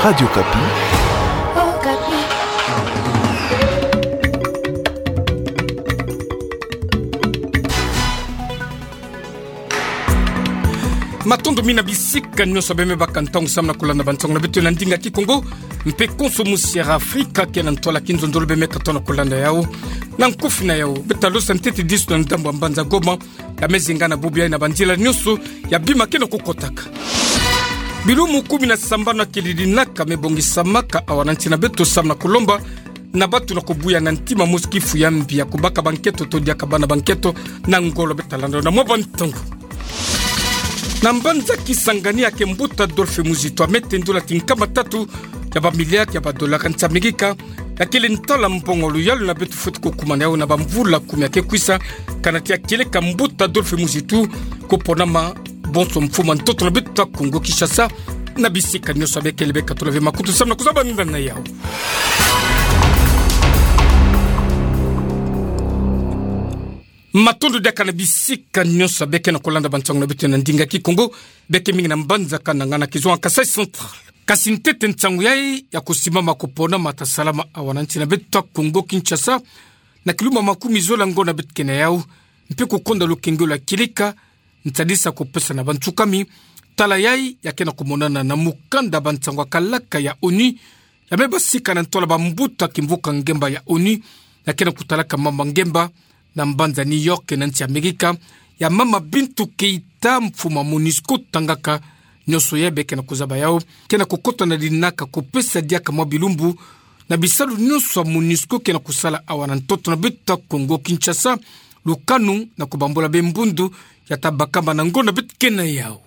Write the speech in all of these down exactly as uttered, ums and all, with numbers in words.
Radio Okapi. Matondo mingi na bisika nyonso beme baka ntangu samu na kulanda bansango na beto na ndinga Kikongo, mpe konso musi ya Afrika ke na ntwala kinzonzolo beme katoa na kulanda yau. Na nkufi na yau, beta losa ntete disu na ndambu ya mbanza Goma, ya me zinga na bubu yai na banzila nyonso ya bima ke na kukotaka. Bilumbu kumi na sambanu ya kili dinaka me bongisamaka awa na nsi na beto samu na kulomba na bato na kubuya na ntima mosi kifu ya mbi ya kubaka banketo to diaka bana banketo na ngolo. Beta landa na mwa bantangu. Na mbanza Kisangani ya ke mbuta Adolphe Muzitu ame tendula ti nkama tatu ya bamiliare ya badola ya nsi Amerika, ya kele ntala mbongo luyalu na beto fweti kukumana yau na bamvula kumi ya ke kwisa, kana ti ya kieleka mbuta Adolphe Muzitu kuponama bonso mfumu ya ntoto na beto ya Kongo Kinshasa, na bisika nyonso ya bekele beka tula ve makutu samu na kuzaba nginda na yau. Matondo diaka na bisika nyonso ya beke na kulanda bansango na beto na ndinga Kikongo, beke mingi na mbanza Kananga na kizonga Kasaï Central. Kasi ntete nsangu yai ya kusimama kuponama ta salama awa na nsi na beto ya Kongo Kinshasa, na kilumbu makumi zole ya ngonda beto ke na yau, mpe kukonda lukengelo ya kieleka, nsadisa kupesa na bansukami tala yai ya ke na kumonana na mukanda bansangu ya kalaka ya ONU, ya me basika na ntwala bambuta kimvuka ngemba ya ONU, ya ke na kutalaka mama ngemba na mbanza New York na nsi Amerika, ya mama Bintou Keita, mfumu ya MONUSCO tangaka. Nyonso yai beke na kuzaba yau ke na kukota na dinaka kupesa diaka mwa bilumbu na bisalu nyonso ya MONUSCO ke na kusala awa na ntoto na beto ya Kongo Kinshasa, lukanu na kubambula be mbundu ya ta bakama na ngonda beto ke na yau.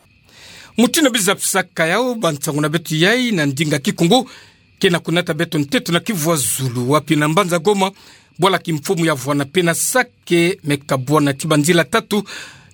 Mutindu bizapisaka yau, bansango na beto yai na ndinga Kikongo ke na kunata beto ntete na kivwazulu, wapi na mbanza Goma, bwala kimfumu ya vwanda pena sake me kabwana ti banzila tatu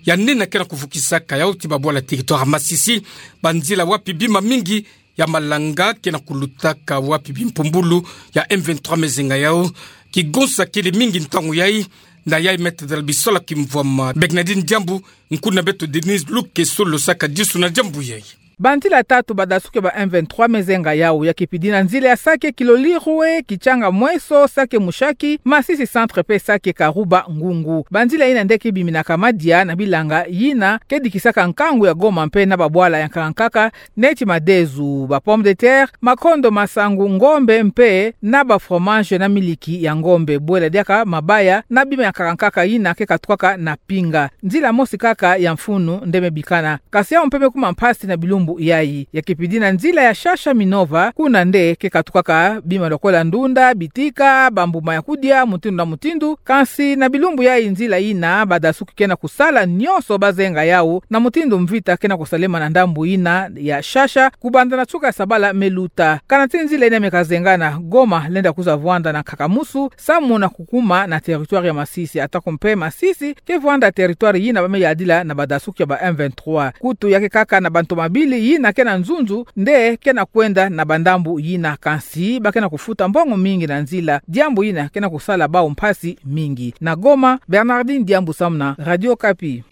ya nene ke na kuvukisaka yau ti babwala territoire Masisi, banzila wapi bima mingi ya malanga ke na kulutaka, wapi bimpumbulu ya M vingt-trois me zenga yau. Kigonsa kele mingi ntangu yai, na yai me tadala bisola kimvwama Bernardine Diambu, nkuna beto Denise Lukeso losaka disu na diambu yai. Banzila tatu badasuki ba M vingt-trois me zenga yau, ya kipidi na nzila ya sake Kilolirwe, Kitshanga Mweso, sake Mushaki, Masisi Centre mpe sake Karuba Ngungu. Banzila yina nde ke biminaka madia na bilanga yina ke dikisaka nkangu ya Goma mpe na babwala ya nkaka nkaka, neti madezu, ba pomme de terre, makondo, masangu, ngombe mpe na ba fromage na miliki ya ngombe, bwela diaka mabaya na bima ya nkaka nkaka yina ke katukaka na pinga. Nzila mosi kaka ya mfunu nde me bikana. Kasi yau mpe me kuma mpasi na bilumbu yai. Ya kipidi na nzila ya Shasha Minova, kuna nde ke katukaka bima lokola ndunda, bitika, bambuma ya kudia, mutindu na mutindu. Kasi na bilumbu yai nzila yina badasuki ke na kusala nyonso bazenga yau, na mutindu mvita ke na kusalema na ndambu yina ya Shasha, kubanda na nsuka ya sabala me luta. Kana ti nzila yina me kazengana, Goma lenda kwiza vwanda na nkaka musu, samu na kukuma na territoire ya Masisi. Atako mpe Masisi ke vwanda territoire yina ba me yadila na badasuki ya ba M vingt-trois. Kutu ya ke kaka na bantomabili yina ke na nzunzu nde ke na kwenda na bandambu yina, kasi ba ke na kufuta mbongo mingi na nzila. Diambu yina ke na kusala bau mpasi mingi. Na Goma, Bernardine Diambu samu na Radio Okapi.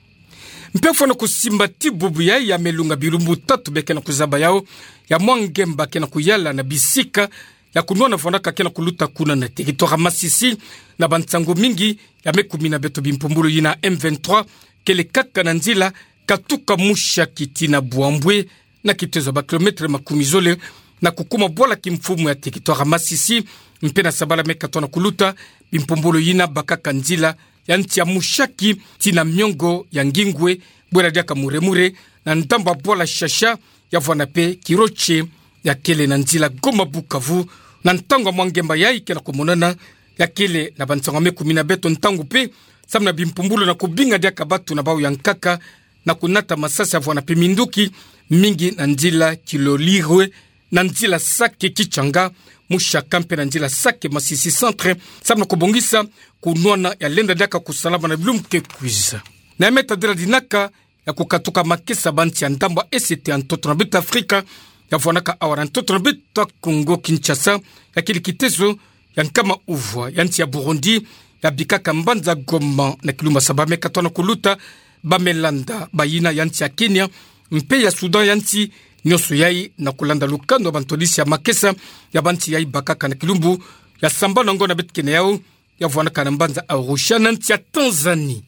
Mpe fwana kusimba ti bubu yai, ya me lunga bilumbu tatu be ke na kuzaba yau, ya mwa ngemba ke na kuyala na bisika ya kunwana fwanaka ke na kuluta kuna na territoire Masisi, na bansangu mingi ya me kumina beto bimpumbulu yina M vingt-trois kele kaka na nzila katuka Mushaki tii na Bouaboué, na kitezo ya ba kilomètre makumi zole, na kukuma bwala kimfumu ya territoire Masisi, mpe na sabala me katoa na kuluta, bimpumbulu yina bakaka nzila ya nsi ya Mushaki tii na miongo ya Nguingoué, bwela diaka Mourémouéré, na ndambu ya bwala Shasha, ya vwanda mpe Kiroche, ya kele na nzila Goma Bukavu, na ntangu ya mwa ngemba yai ke na kumonana, ya kele na bansangu ya me kumina beto ntangu mpe, samu na bimpumbulu na kubinga diaka bato na bau ya nkaka, na kunata masasi ya vwanda mpe minduki mingi na nzila Kilolirwe, na nzila Sake Kitshanga, Mushaki mpe na nzila Sake Masisi Centre, samu na kubongisa kunwana ya lenda diaka kusalama na bilumbu ke kwiza. Na ya me tadila dinaka ya kukatuka makesa bansi ya ndambu ya Est ya ntoto na beto Afrika, ya vwanaka awa na ntoto na beto Kongo Kinshasa, ya kele kitezo ya nkama uvwa ya nsi ya Burundi, ya bikaka mbanza Goma na kilumbu ya saba me katoa na kuluta, ba me landa bayina ya nsi ya Kenya, mpe ya Soudan ya nsi, Nyonso yai na kulanda lukanu ya bantwadisi ya makesa ya banti yai bakaka na kilumbu ya sambanu na ngonda beto kena yau, ya vwanaka na mbanza Arusha na nsi ya Tanzanie.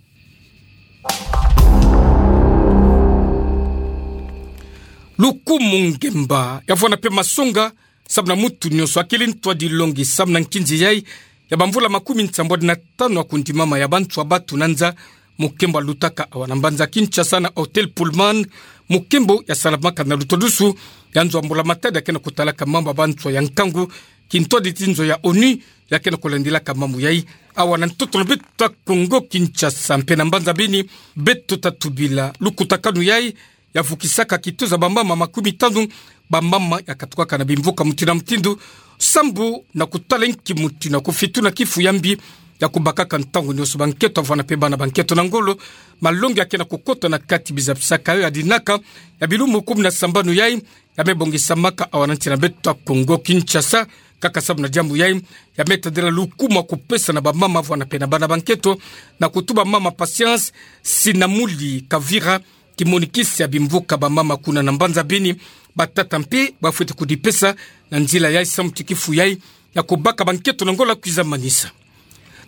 Lukumu ngemba ya vwana mpe masonga samu na mutu nyonso akili ntwadi longi samu na nkinzi yai ya bamvula makumi nsambwadi na tanu ya kundimama ya bantu ya batu na nza, mukembo yalutaka awa na mbanza Kinshasa na Hotel Pullman, mukembo yasalamaka na lutodusu ya nzo ya mbula matadi ya kena kutalaka mambu ya bantu ya nkangu, kintwadi ti nzo ya ONU ya kena kulandilaka mambu yai awa na ntoto na beto ya Kongo Kinshasa. Mpe na mbanza Beni, beto tatubila lukutakanu yai yavukisaka kitoza bamama makumi tanu, bamama yakatukaka na bimvuka mutindu na mutindu, sambu na kutala nki mutindu ya kufituna kifu ya mbi ya kubakaka ntangu nyonso bankento ya vwana mpe bana bankento na ngolo. Malongi ya kena kukota na kati bizapisaka yo ya dinaka ya bilumbu kumi na sambanu yai ya me bongisamaka awa na nsi na beto ya Kongo Kinshasa. Kaka samu na diambu yai, ya me tadila lukumu ya kupesa na bamama ya vwana mpe na bana bankento, na kutuba mama Patience Sinamuli Kavira, kimonikisi ya bimvuka bamama kuna na mbanza Beni, batata mpe bafweti kudipesa na nzila yai samu ti kifu yai ya kubaka bankento na ngolo kwiza manisa.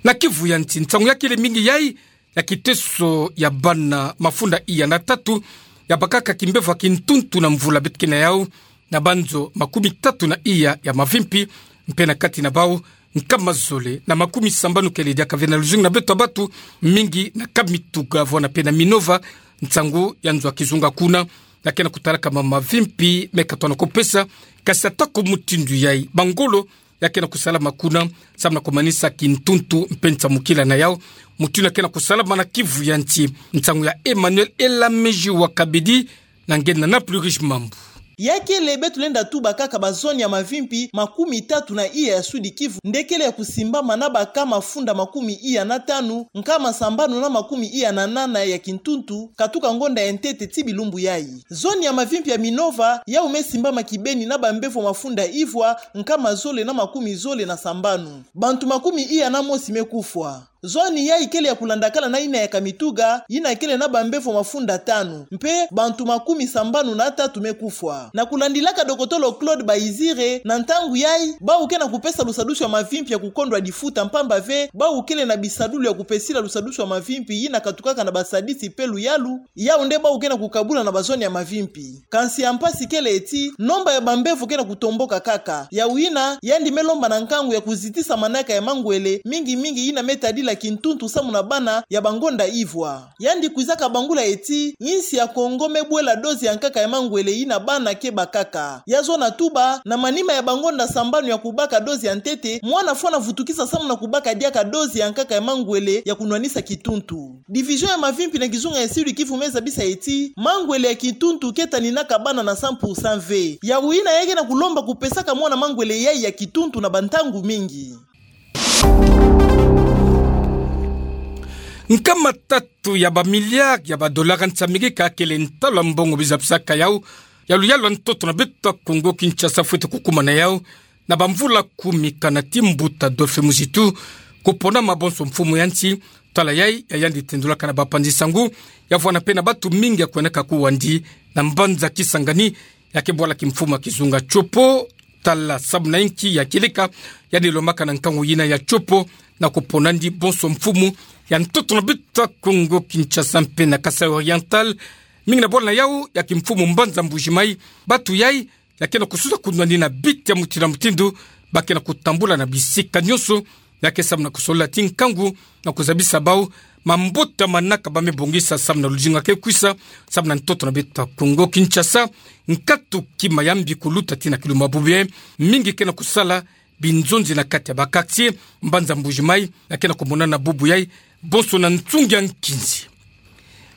Na kivu ya nsi, nsangu ya kele mingi yai ya kiteso ya bana mafunda iya na tatu yabakaka kimbevo ya kintuntu na mvula beto kena yau, na banzo makumi tatu na iya ya mavimpi, mpe na kati na bau nkama zole na makumi sambanu kele diaka ve na luzingu na beto ya batu, mingi na Kamituga ya vwana mpe na Minova, nsangu ya nzo ya kizunga kuna, ya kena kutalaka mama mavimpi me katona kupesa. Kasi atako mutindu yai, bangolo ya kena kusalama kuna samu na kumanisa kintuntu mpe nsamukila na yau. Mutindu ya kena kusalama na kivu ya nsi, nsangu ya Emmanuel Elameji wa Kabedi, na nge na na plus riche mambu. Ya kele beto lenda tuba kaka ba zone ya mavimpi makumi tatu na iya ya Sud-Kivu nde kele ya kusimbama na baka mafunda makumi iya na tanu, nkama sambanu na makumi iya na nana ya kintuntu, katuka ngonda ya ntete ti bilumbu yai. Zone ya mavimpi ya Minova, yau me simbama kibeni na bambevo mafunda ivwa, nkama zole na makumi zole na sambanu. Bantu makumi iya na mosi me kufwa. Zone yai kele ya kulandakala na yina ya Kamituga, yina kele na bambevo mafunda tanu, mpe bantu makumi sambanu na tatu me kufwa. Na kulandilaka dokotolo Claude Bayizire, na ntangu yai, bau ke na kupesa lusadusu ya mavimpi ya kukondwa difuta, mpamba ve bau kele na bisadulu ya kupesila lusadusu ya mavimpi yina katukaka na basadisi mpe luyalu, yau nde bau ke na kukabula na ba zone ya mavimpi. Kansi ya mpasi kele ti, nomba ya bambevo ke na kutomboka kaka. Yau yina yandi me lomba na nkangu ya kuzitisa manaka ya mangwele, mingi mingi yina me tadila kintuntu samu na bana ya bangonda ivwa. Yandi kwizaka bangula ti, insi ya Kongo me bwela dose ya nkaka ya mangwele yina bana ke bakaka. Ya zona tuba, na manima ya bangonda sambanu ya kubaka dose ya ntete, mwana fwana vutukisa samu na kubaka diaka dose ya nkaka ya mangwele ya kunwanisa kituntu. Division ya mavimpi na kizunga ya Sud-Kivu me zabisa ti, mangwele ya kituntu ke taninaka bana na cent pour cent ve. Yau yina ya ke na kulomba kupesaka mwana mangwele yai ya kituntu na bantangu mingi. Nkama tatu ya bamiliare ya badolara nsamiki ka kele ntalu ya mbongo bizapisaka yau, ya luyalu ya ntoto na beto ya Kongo Kinshasa fwete kukumana yau, na bamvula kumi kana ti mbuta Adolphe Muzitu kupona mabonso mfumu ya nsi, tala yai ya yandi tendulaka na bapanzi sangu, ya vwana mpe na batu mingi ya kweneka kuwandi na mbanza Kisangani, ya ke bwala kimfumu ya kizunga Tshopo, tala samu na inki ya kieleka yandi lomaka na nkangu yina ya Tshopo, na kupona ndi bonso mfumu ya ntoto na beto ya Kongo Kinshasa mpe na Kasaï Oriental, mingi na bwala na yau ya kimfumu mbanza Mbuji-Mayi, batu yai ya ke na kususa kunwani na biti ya mutindu na mutindu, ba ke na kutambula na bisika nyonso, ya ke samu na kusolola ti nkangu na kuzabisa bau mambote ya manaka ba me bongisa samu na luzingu ya ke kwisa, samu na ntoto na beto ya Kongo Kinshasa. Nkatu kima ya mbi kuluta tii na kilumbu ya bubu yai, mingi ke na kusala binzonzi na kati ya ba quartier, mbanza Mbuji-Mayi, ya ke na kumonana bubu yai, bonso na nsungi ya nkinzi.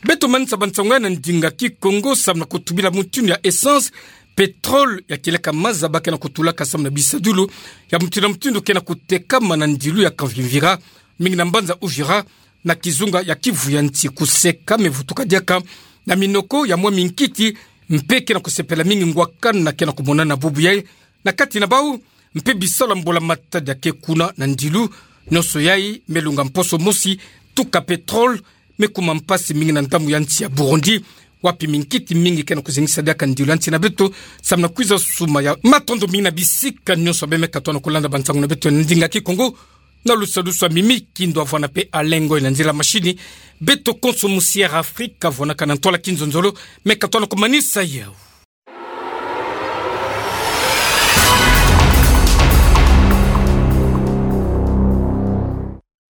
Beto manisa bansangu yai na ndinga Kikongo samu na kutubila mutindu ya essence, pétrole, ya kieleka maza ba ke na kutulaka samu na bisadulu ya mutindu na mutindu ke na kutekama na ndilu ya Kavimvira, mingi na mbanza Uvira, na kizunga ya Kivu ya nsi. Kuseka me vutuka diaka na minoko ya mwami Nkiti, mpe ke na kusepela mingi ngwakana ke na kumonana bubu yai na kati na bau, mpe bisalu ya mbula matadi ya ke kuna na ndilu. Nyonso yai me lunga mposo mosi, tuka pétrole me kuma mpasi mingi na ndambu ya nsi ya Burundi, wapi minkiti mingi ke na kuzengisa diaka ndiolo ya nti na beto, samu na kwiza suma ya. Matondo mingi na bisika nyonso bê me katono kulanda bansangu na beto ya ndinga Kikongo, na lusadusu ya Mimi Kindo avwanda pe alengo na nzila mashini. Beto konso musi Air Afrika avwanaka na ntwala kinzonzolo, me katono kumanisa yau.